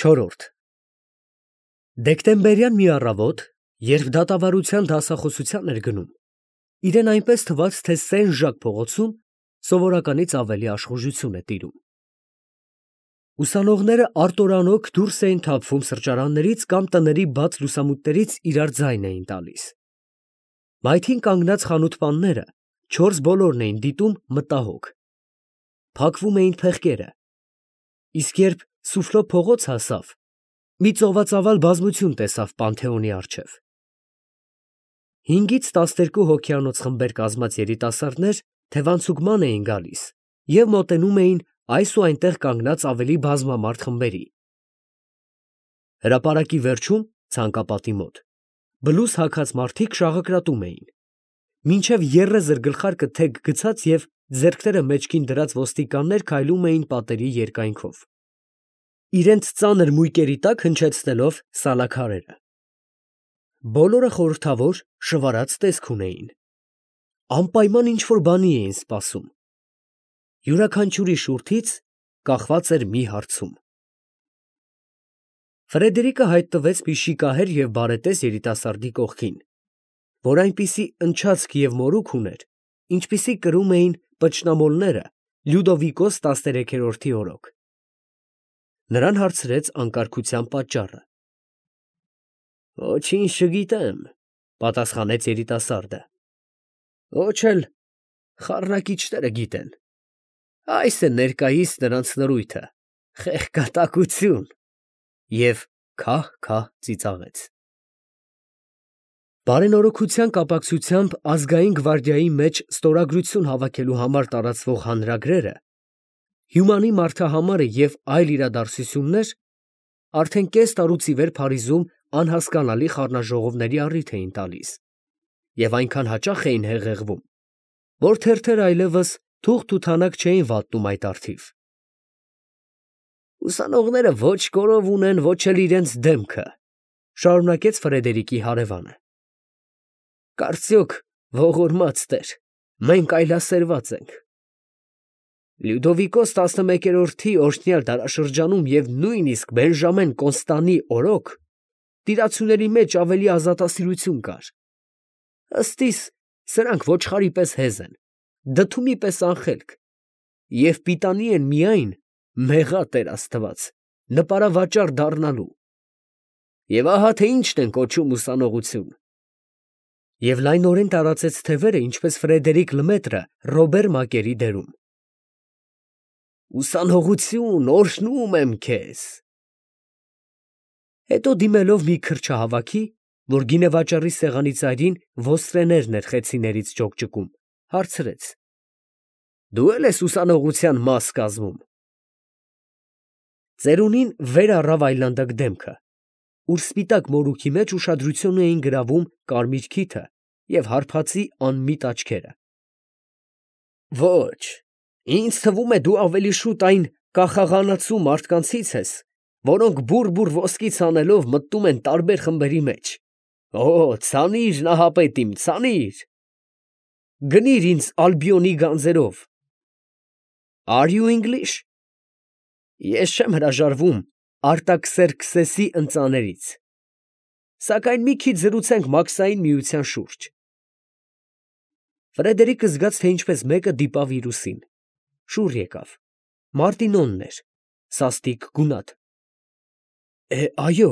Չորրորդ Դեկտեմբերյան մի առավոտ, երբ դատավարության դասախոսության էր գնում, իրեն այնպես թվաց, թե Սեն֊Ժակ փողոցում սովորականից ավելի աշխուժություն է տիրում։ Ուսանողները արտորանոք դուրս էին թափվում սրճարաններից կամ տների բաց լուսամուտներից իրար ձայն էին տալիս։ Մայթին կանգնած խանութպանները չորս բոլորն էին դիտում մտահոգ։ Փակվում էին փեղկերը, իսկ երբ Սուֆլո փողոց հասավ, մի ծովածավալ բազմություն տեսավ Պանթեոնի առջև։ 5-ից 12 հոգյանոց խմբեր կազմած երիտասարդներ թևանցուկման էին գալիս և մոտենում էին այս ու այնտեղ կանգնած ավելի բազմամարդ խմբերի։ Հրապարակի վերջում, ցանկապատի մոտ, բլուզ հագած մարդիկ շաղակրատում էին, մինչև եռեզր գլխարկը թեք գցած և ձեռքները մեջքին դրած ոստիկաններ քայլում էին պատերի երկայնքով, իրենց ծանր մույկերի տակ հնչեցնելով սալաքարերը։ Բոլորը խորհրդավոր, շվարած տեսք ունեին, անպայման ինչ-որ բանի էին սպասում։ Յուրաքանչյուրի շուրթից կախված էր մի հարցում։ Ֆրեդերիկը հայտնվեց մի շիկահեր և բարետես երիտասարդի կողքին, որ այնպիսի ընչացք և մորուք ուներ, ինչպիսի կրում էին պճնամոլները Լյուդովիկոս 13-րդի օրոք։ Նրան հարցրեց անկարգության պատճառը։ «Ոչինչ չգիտեմ», պատասխանեց երիտասարդը։ «Ոչ էլ խառնակիչները գիտեն։ Այս է ներկայիս նրանց նրույթը, խեղկատակություն» և քահ-քահ ծիծաղեց։ Բարենորոգության կապակցությամբ ազգային գվարդիայի մեջ ստորագրություն հավաքելու համար տարածվող հանրագրերը, հյումանի մարդահամարը և այլ իրադարձություններ արդեն կես տարուց ի վեր Փարիզում անհասկանալի խառնաժողովների առիթ էին տալիս և այնքան հաճախ էին հեղեղվում, որ թերթերը այլևս թուղթ ու թանակ չէին վատնում այդ առթիվ։ «Ուսանողները ոչ կորով ունեն, ոչ էլ իրենց դեմքը», շարունակեց Ֆրեդերիկի հարևանը։ «Կարծիոք ողորմած տեր, մենք այլասերված ենք։ Լյուդովիկոս 11-րդի օրհնյալ դարաշրջանում և նույնիսկ Բենժամեն Կոնստանի օրոք տիրացուների մեջ ավելի ազատասիրություն կար։ Ըստիս սրանք ոչխարի պես հեզ են, դդումի պես անխելք և պիտանի են միայն, մեղա Տեր Աստված, նպարավաճառ դառնալու։ Եվ ահա թե ինչն են կոչում ուսանողություն»։ Եվ լայնորեն տարածեց թևերը, ինչպես Ֆրեդերիկ Լմետրը Ռոբեր Մակերի դերում։ «Ուսանողություն, օրհնում եմ քեզ»։ Հետո դիմելով մի քրչահավաքի, որ գինեվաճառի սեղանի ծայրին ոստրեներն էր խեցիներից ճոկճկում, հարցրեց. «Դու է՞լ ես ուսանողության մաս կազմում»։ Ծերունին վեր առավ այլանդակ դեմքը, ուր սպիտակ մորուքի մեջ ուշադրություն էին գրավում կարմիր քիթը և հարբածի անմիտ աչքերը։ «Ոչ, ինձ թվում է, դու ավելի շուտ այն կախաղանացու մարդկանցից ես, որոնք բուռ ոսկի ցանելով մտնում են տարբեր խմբերի մեջ։ Օ, ցանիր, Նահապետ իմ, ցանիր. գնիր ինձ Ալբիոնի գանձերով։ Are you English։ Ես չեմ հրաժարվում Արտաքսերքսեսի ընծաներից։ Սակայն մի քիչ զրուցենք մաքսային միության շուրջ։ Ֆրեդերիկը զգաց, թե ինչպես մեկը դիպավ իր ուսին։ Շուռ եկավ։ Մարտինոնն էր, սաստիկ գունատ։ Այո,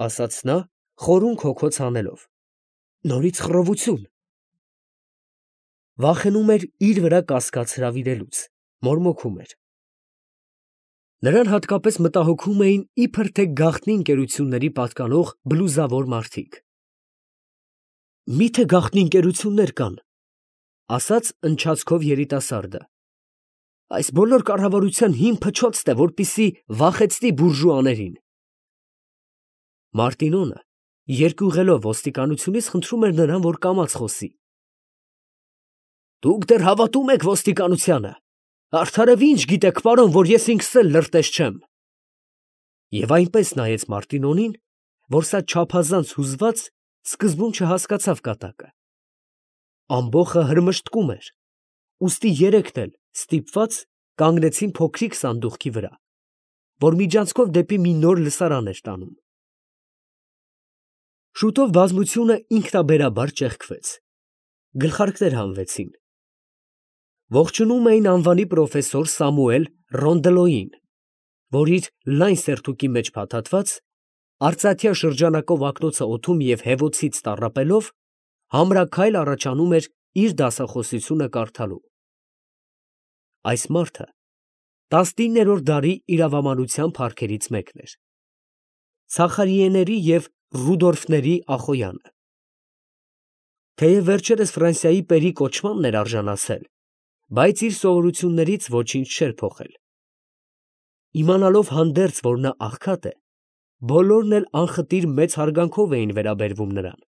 ասաց նա, խորունգ հոգոց հանելով, նորից խռովություն։ Վախենում էր իր վրա կասկած հրավիրելուց, մորմոքում էր։ Նրան հատկապես մտահոգում էին իբր թե գաղտնի ընկերությունների պատկանող բլուզավոր մարդիկ։ Մի՞թե գաղտնի ընկերություններ կան, ասաց ընչացքով երիտասարդը։ Այս բոլոր կառավարության հին փչոցն է, որպեսզի վախեցնի բուրժուաներին։ Մարտինոնը երկուղելով ոստիկանությունից խնդրում էր նրան, որ կամաց խոսի։ Դուք դեռ հավատում եք ոստիկանությանը։ Արդարև ինչ գիտեք, պարոն, որ ես ինքս էլ լրտես չեմ։ Եվ այնպես նայեց Մարտինոնին, որ սա չափազանց հուզված սկզբում չհասկացավ կատակը։ Ամբոխը հրմշտկում էր, ուստի երեքն էլ ստիպված կանգնեցին փոքրիկ սանդուղքի վրա, որ միջանցքով դեպի մի նոր լսարան էր տանում։ Շուտով բազմությունը ինքնաբերաբար ճեղքվեց, գլխարկներ հանվեցին։ Ողջունում էին անվանի պրոֆեսոր Սամուել Ռոնդելոյին, որ իր լայն սերթուկի մեջ փաթաթված, արծաթյա շրջանակով ակնոցը օդում և հևոցից տառապելով, համրաքայլ առաջանում էր իր դասախոսությունը կարդալու։ Այս մարդը 19-րդ դարի իրավաբանության փառքերից մեկն էր, Ցախարիեների և Ռուդոլֆների Ախոյանը։ Թեև վերջերս Ֆրանսիայի պերի կոչմանն էր արժանացել, բայց իր սովորություններից ոչինչ չէր փոխել։ Իմանալով հանդերձ, որ նա աղքատ է, բոլորն էլ անխտիր մեծ հարգանքով էին վերաբերվում նրան։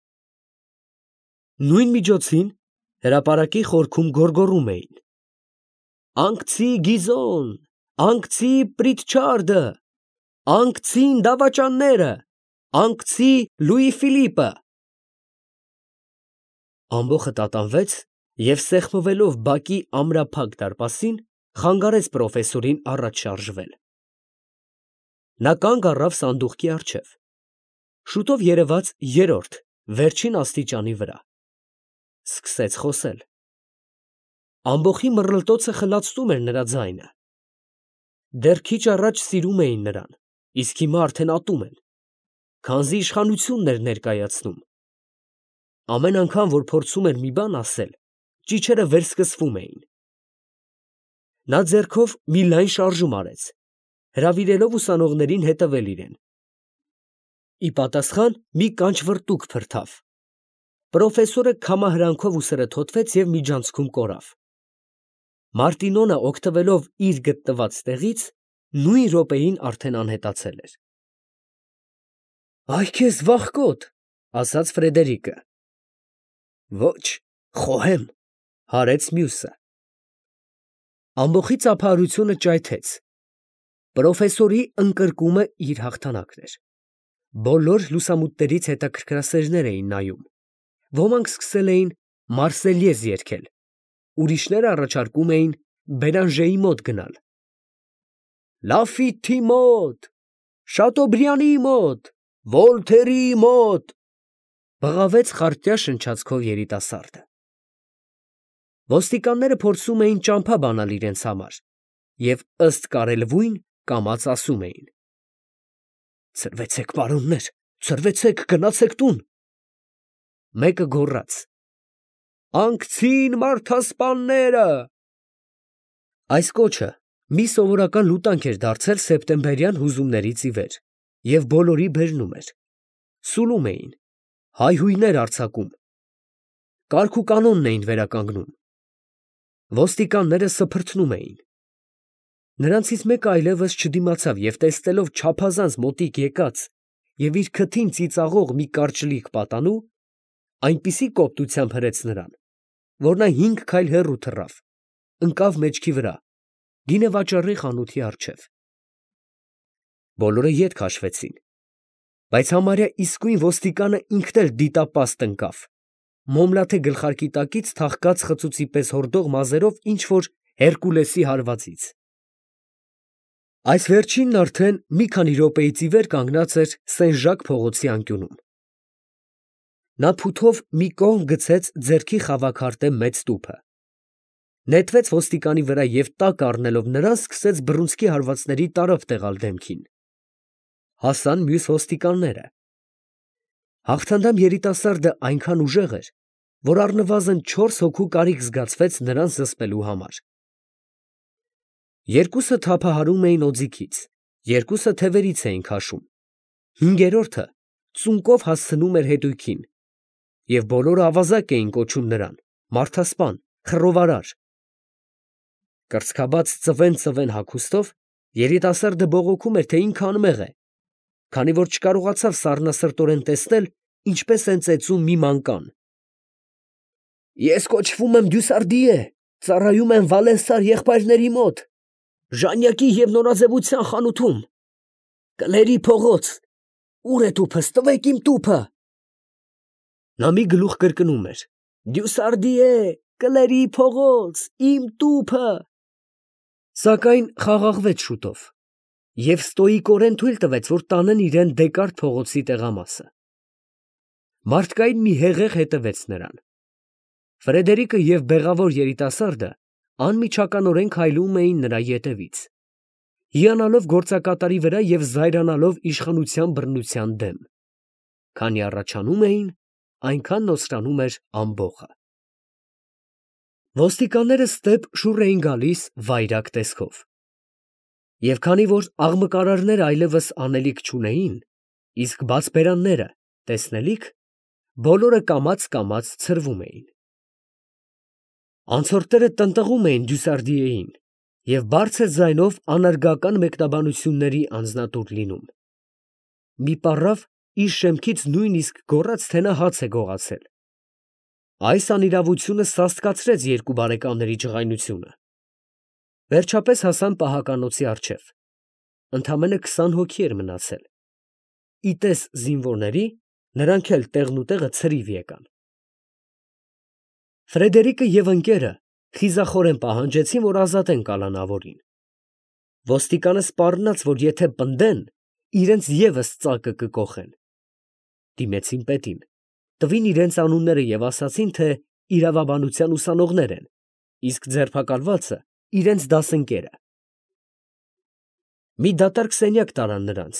Նույն միջոցին հրապարակի խորքում գոռգոռում էին. «Անկցի Գիզոն, անկցի Պրիտչարդը, անկցին դավաճանները, անկցի Լուի Ֆիլիպը»։ Ամբոխը տատանվեց և սեղմվելով բակի ամրափակ դարպասին, խանգարեց պրոֆեսորին առաջ շարժվել։ Նա կանգ առավ սանդուղքի առջև։ Շուտով երևաց երրորդ, վերջին աստիճանի վրա։ Սկսեց խոսել։ Ամբոխի մռլտոցը խլացնում էր նրա ձայնը։ Դեռ քիչ առաջ սիրում էին նրան, իսկ հիմա արդեն ատում են, քանզի իշխանությունն էր ներկայացնում։ Ամեն անգամ, որ փորձում էր մի բան ասել, ճիչերը վերսկսվում էին։ Նա ձեռքով մի լայն շարժում արեց, հրավիրելով ուսանողներին հետևել իրեն։ Ի պատասխան մի կանչ֊վռտուք փրթավ։ Պրոֆեսորը քամահրանքով ուսերը թոթվեց և միջանցքում կորավ։ Մարտինոնը, օգտվելով իր գտնված տեղից, նույն րոպեին արդեն անհետացել էր։ «Այ քեզ վախկոտ», ասաց Ֆրեդերիկը։ «Ոչ, խոհեմ», հարեց մյուսը։ Ամբոխի ծափահարությունը ճայթեց։ Պրոֆեսորի ընկրկումը իր հաղթանակն էր։ Բոլոր լուսամուտներից հետաքրքրասերներ էին նայում։ Ոմանք սկսել էին Մարսելյեզ երգել, ուրիշները առաջարկում էին Բերանժեի մոտ գնալ։ Լաֆիտի մոտ, Շատոբրյանի մոտ, Վոլթերի մոտ, բղավեց խարտյա շնչացքով երիտասարդը։ Ոստիկանները փորձում էին ճամփա բանալ իրենց համար և ըստ կարելվույն կամաց ասում էին. «Ցրվեցեք, պարոններ, ցրվեցեք, գնացեք տուն»։ Մեկը գոռաց. «Անկցին մարդասպանները»։ Այս կոչը մի սովորական լուտանք էր դարձել սեպտեմբերյան հուզումներից ի վեր և բոլորի բերնում էր։ Սուլում էին, հայհույներ արձակում, կարգուկանոնն էին վերականգնում։ Ոստիկանները սփրթնում էին։ Նրանցից մեկը այլևս չդիմացավ և տեսնելով չափազանց մոտիկ եկած և իր քթին ծիծաղող մի կարճլիկ պատանու, այնպիսի կոպտությամբ հրեց նրան, որ նա 5 քայլ հեռու թռավ, ընկավ մեջքի վրա, գինեվաճառի խանութի առջև։ Բոլորը ետ քաշվեցին, բայց համարյա իսկույն ոստիկանը ինքն էլ դիտապաստ ընկավ, մոմլաթե գլխարկի տակից թաղկած խծուծի պես հորդող մազերով ինչ֊որ Հերկուլեսի հարվածից։ Այս վերջինն արդեն մի քանի րոպեից ի վեր կանգնած էր Սեն֊Ժակ փողոցի անկյունում։ Նա փութով մի կողմ գցեց ձեռքի խավաքարտե մեծ տուփը, նետվեց ոստիկանի վրա և տակ առնելով նրան, սկսեց բռունցքի հարվածների տարափ տեղալ դեմքին։ Հասան մյուս ոստիկանները։ Հաղթանդամ երիտասարդը այնքան ուժեղ էր, որ առնվազն 4 հոգու կարիք զգացվեց նրան զսպելու համար։ Երկուսը թափահարում էին օձիքից, երկուսը թևերից էին քաշում, հինգերորդը ծունկով հասցնում էր հետույքին, և բոլորը ավազակ էին կոչում նրան, մարդասպան, խռովարար։ Կրծքաբաց ծվեն հագուստով երիտասարդը բողոքում էր, թե ինքը անմեղ է, քանի որ չկարողացավ սառնասրտորեն տեսնել, ինչպես են ծեծում մի մանկան։ «Ես կոչվում եմ Դյուսարդիե, ծառայում եմ Վալենսար եղբայրների մոտ, Ժանյակի և նորաձևության խանութում։ Կլերի փողոց, ո՞ւր է տուփս, տվեք իմ տուփը»։ Նա մի գլուխ կրկնում էր. «Դյուսարդիե, Կլերի փողոց, իմ տուփը»։ Սակայն խաղաղվեց շուտով։ և ստոիկորեն թույլ տվեց, որ տանեն իրան Դեկարտ փողոցի տեղամասը։ Մարդկային մի հեղեղ հետևեց նրան։ Ֆրեդերիկը և բեղավոր երիտասարդը անմիջականորեն քայլում էին նրա ետևից, հիանալով գործակատարի վրա և զայրանալով իշխանության բռնության դեմ։ Քանի առաջանում էին, այնքան նոսրանում էր ամբոխը։ Ոստիկանները ստեպ շուռ էին գալիս վայրագ տեսքով։ Եվ քանի որ աղմկարարները այլևս անելիք չունեին, իսկ բաց բերանները տեսնելիք, բոլորը կամաց ցրվում էին։ Անցորդները տնտղում էին Դյուսարդիեին և բարձր ձայնով անարգական մեկնաբանությունների անձնատուր լինում։ Մի պառավ իր շեմքից նույնիսկ գոռաց, թե նա հաց է գողացել։ Այս անիրավությունը սաստկացրեց երկու բարեկամների ջղայնությունը։ Վերջապես հասան պահականոցի առջև։ Ընդամենը 20 հոգի էր մնացել։ Ի տես զինվորների, նրանք էլ տեղնուտեղը ցրիվ եկան։ Ֆրեդերիկը և ընկերը խիզախորեն պահանջեցին, որ ազատեն կալանավորին։ Ոստիկանը սպառնաց, որ եթե պնդեն, իրենց ևս ծակը կկոխեն։ Դիմեցին պետին, տվին իրենց անունները և ասացին, թե իրավաբանության ուսանողներ են, իսկ ձերբակալվածը իրենց դասընկերը։ Մի դատարկ սենյակ տարան նրանց,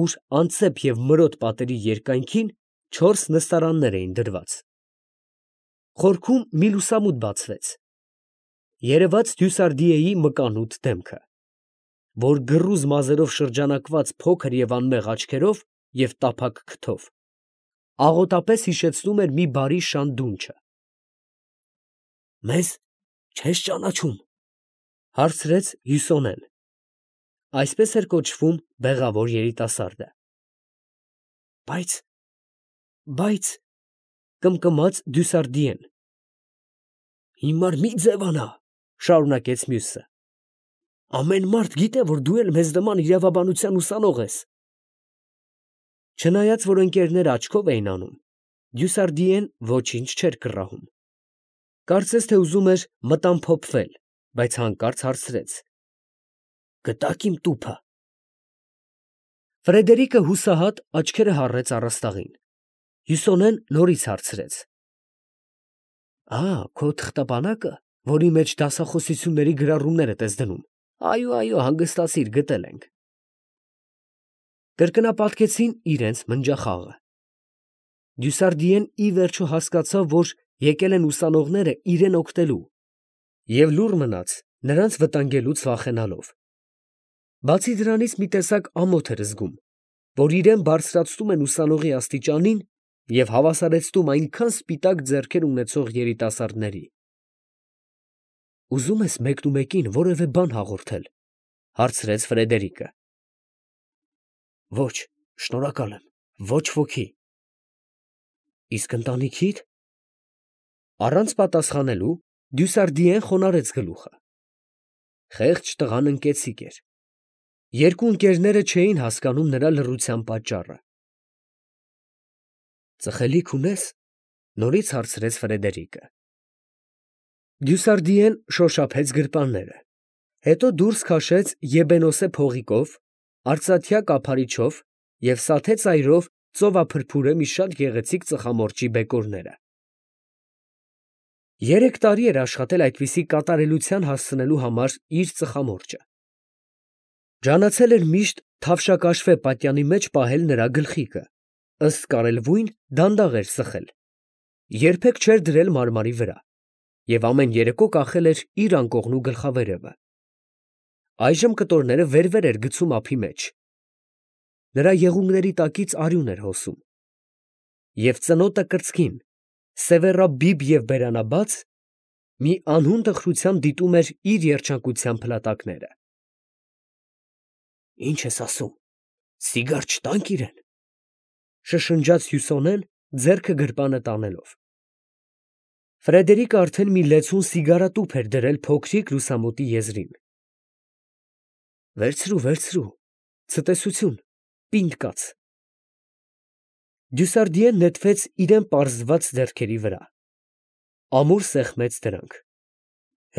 ուր անծեպ և մրոտ պատերի երկայնքին 4 նստարաններ էին դրված։ Խորքում մի լուսամուտ բացվեց։ Երևաց Դյուսարդիեի մկանուտ դեմքը, որ գռուզ մազերով շրջանակված փոքր և անմեղ աչքերով և տափակ քթով, աղոտապես հիշեցնում էր մի բարի շան դունչը։ ֊ Մեզ չե՞ս ճանաչում, ֊ հարցրեց Հյուսոնեն (այսպես էր կոչվում բեղավոր երիտասարդը)։ Բայց, ֊ կմկմաց Դյուսարդիեն։ ֊ Հիմար մի ձևանա, ֊ շարունակեց մյուսը. ամեն մարդ գիտե, որ դու էլ մեզ նման իրավաբանության ուսանող ես։ Չնայած որ ընկերները աչքով էին անում, Դյուսարդիեն ոչինչ չէր կռահում։ Կարծես թե ուզում էր մտամփոփվել, բայց հանկարծ հարցրեց. ֊ Գտա՞ք իմ տուփը։ Ֆրեդերիկը հուսահատ աչքերը հառեց առաստաղին։ Հյուսոնեն նորից հարցրեց. Քո թղթապանակը, որի մեջ դասախոսությունների գրառումներդ ես դնում։ Այո, հանգստացիր, գտել ենք։ Կրկնապատկեցին իրենց մնջախաղը։ Դյուսարդիեն ի վերջո հասկացավ, որ եկել են ուսանողները իրան օգնելու, և լուռ մնաց, նրանց վտանգելուց վախենալով։ Բացի դրանից մի տեսակ ամոթ էր զգում, որ իրան բարձրացնում են ուսանողի աստիճանին և հավասարեցնում այնքան սպիտակ ձեռքեր ունեցող երիտասարդների։ ֊ Ուզում ես մեկնումեկին որևէ բան հաղորդել, ֊ հարցրեց Ֆրեդերիկը։ ֊ Ոչ, շնորհակալ եմ, ոչ ոքի։ ֊ Իսկ ընտանիքիդ։ Առանց պատասխանելու Դյուսարդիեն խոնարհեց գլուխը։ Խեղճ տղան ընկեցիկ էր։ Երկու ընկերները չէին հասկանում նրա լռության պատճառը։ Ծխելիք ունե՞ս, ֊ նորից հարցրեց Ֆրեդերիկը։ Դյուսարդիեն շոշափեց գրպանները, հետո դուրս քաշեց եբենոսե փողիկով, արծաթյա կափարիչով և սաթե ծայրով ծովափրփուրե մի շատ գեղեցիկ ծխամորճի բեկորները։ 3 տարի էր աշխատել այդպիսի կատարելության հասցնելու համար իր ծխամորճը։ Ջանացել էր միշտ թավշակաշվե պատյանի մեջ պահել նրա գլխիկը, ըստ կարելվույն դանդաղ էր ծխել, երբեք չէր դրել մարմարի վրա և ամեն երեկո կախել էր իր անկողնու գլխավերևը։ Այժմ կտորները վեր էր գցում ափի մեջ։ Նրա եղունգների տակից արյուն էր հոսում։ Եվ ծնոտը կրծքին, սևեռաբիբ և բերանաբաց, մի անհուն տխրությամբ դիտում էր իր երջանկության փլատակները։ Ի՞նչ ես ասում, սիգար չտանք իրան, ֊ շշնջաց Հյուսոնեն ձեռքը գրպանը տանելով։ Ֆրեդերիկը արդեն մի լեցուն սիգարատուփ էր դրել փոքրիկ լուսամուտի եզրին։ Վերցրու, ցտեսություն, պինդ կաց։ Դյուսարդիեն նետվեց իրան պարզված ձեռքերի վրա, ամուր սեղմեց դրանք։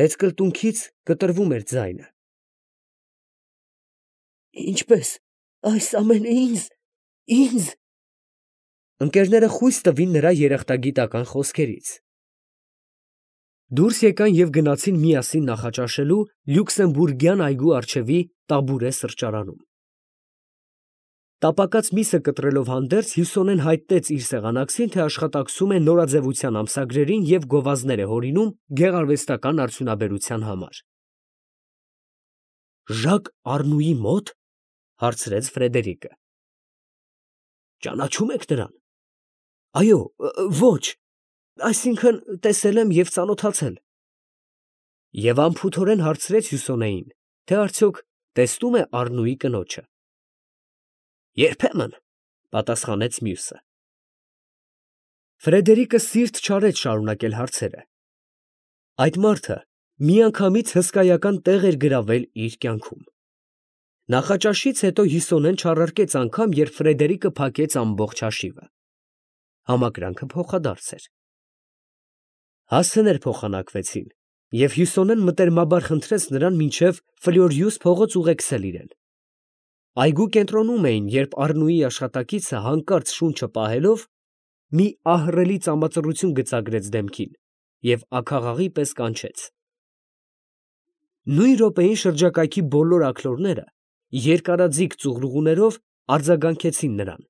Հետզկլտունքից կտրվում էր ձայնը։ Ինչպես, այս ամենը ինձ։ Ընկերները խույս տվին նրա երախտագիտական խոսքերից։ Դուրս եկան և գնացին միասին նախաճաշելու Լյուքսեմբուրգյան այգու առջևի Տաբուրե սրճարանում։ Տապակած միսը կտրելով հանդերձ, Հյուսոնեն հայտնեց իր սեղանակցին, թե աշխատակցում է նորաձևության ամսագրերին և գովազդներ է հորինում գեղարվեստական արդյունաբերության համար։ Ժակ Առնուի մո՞տ, հարցրեց Ֆրեդերիկը։ Ճանաչում եք նրան։ Այո, ոչ, այսինքն տեսել եմ և ծանոթացել։ Եվ անփութորեն հարցրեց Հյուսոնեին, թե արդյոք տեսնում է Առնուի կնոջը։ Երբեմն, պատասխանեց մյուսը։ Ֆրեդերիկը սիրտ չարեց շարունակել հարցերը։ Այդ մարդը միանգամից հսկայական տեղ էր գրավել իր կյանքում։ Նախաճաշից հետո Հյուսոնեն չառարկեց անգամ, երբ Ֆրեդերիկը փակեց ամբողջ հաշիվը։ Համակրանքը փոխադարձ էր։ Հասցեներ փոխանակվեցին, և Հյուսոնեն մտերմաբար խնդրեց նրան մինչև Ֆլյորյուս փողոց ուղեկցել իրեն։ Այգու կենտրոնում էին, երբ Առնուի աշխատակիցը հանկարծ շունչը պահելով մի ահռելի ծամածռություն գծագրեց դեմքին և աքաղաղի պես կանչեց։ Նույն րոպեին շրջակայքի բոլոր աքլորները երկարաձիգ ծուղլուղներով արձագանքեցին նրան։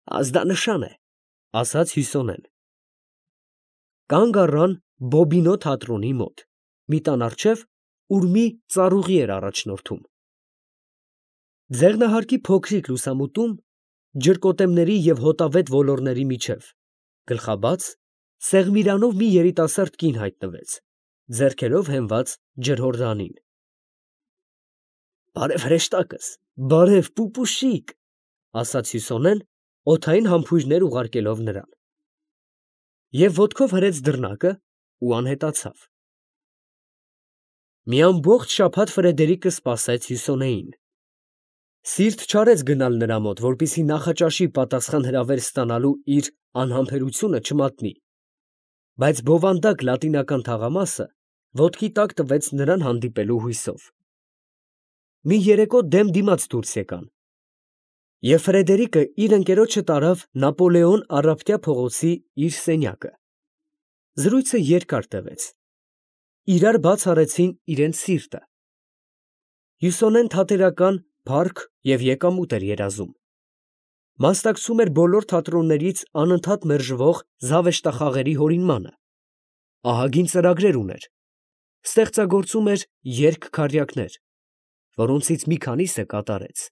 Ազդանշան է, ասաց Հյուսոնեն։ Կանգ առան Բոբինո թատրոնի մոտ, մի տան առջև, ուր մի ծառուղի էր առաջնորդում։ Ձեղնահարկի փոքրիկ լուսամուտում, ջրկոտեմների և հոտավետ ոլորների միջև, գլխաբաց, սեղմիրանով մի երիտասարդ կին հայտնվեց, ձեռքերով հենված ջրհորդանին։ Բարև հրեշտակս, բարև պուպուշիկ, ասաց Հյուսոնեն, օդային համբույրներ ուղարկելով նրան։ Եվ ոտքով հրեց դռնակը ու անհետացավ։ Մի ամբողջ շաբաթ Ֆրեդերիկը սպասեց Հյուսոնեին։ Սիրտ չարեց գնալ նրա մոտ, որպեսզի նախաճաշի պատասխան հրավեր ստանալու իր անհամբերությունը չմատնի, բայց բովանդակ լատինական թաղամասը ոտքի տակ տվեց նրան հանդիպելու հույսով։ Մի երեկո դեմ դիմաց դուրս եկան, և Ֆրեդերիկը իր ընկերոջը տարավ Նապոլեոն առավոտյա փողոցի իր սենյակը։ Զրույցը երկար տևեց։ Իրար բաց արեցին իրենց սիրտը։ Հյուսոնեն թատերական, փառք և եկամուտ էր երազում։ Մասնակցում էր բոլոր թատրոններից անընդհատ մերժվող զավեշտախաղերի հորինմանը։ Ահագին ծրագրեր ուներ։ Ստեղծագործում էր երգ֊քառյակներ, որոնցից մի քանիսը կատարեց։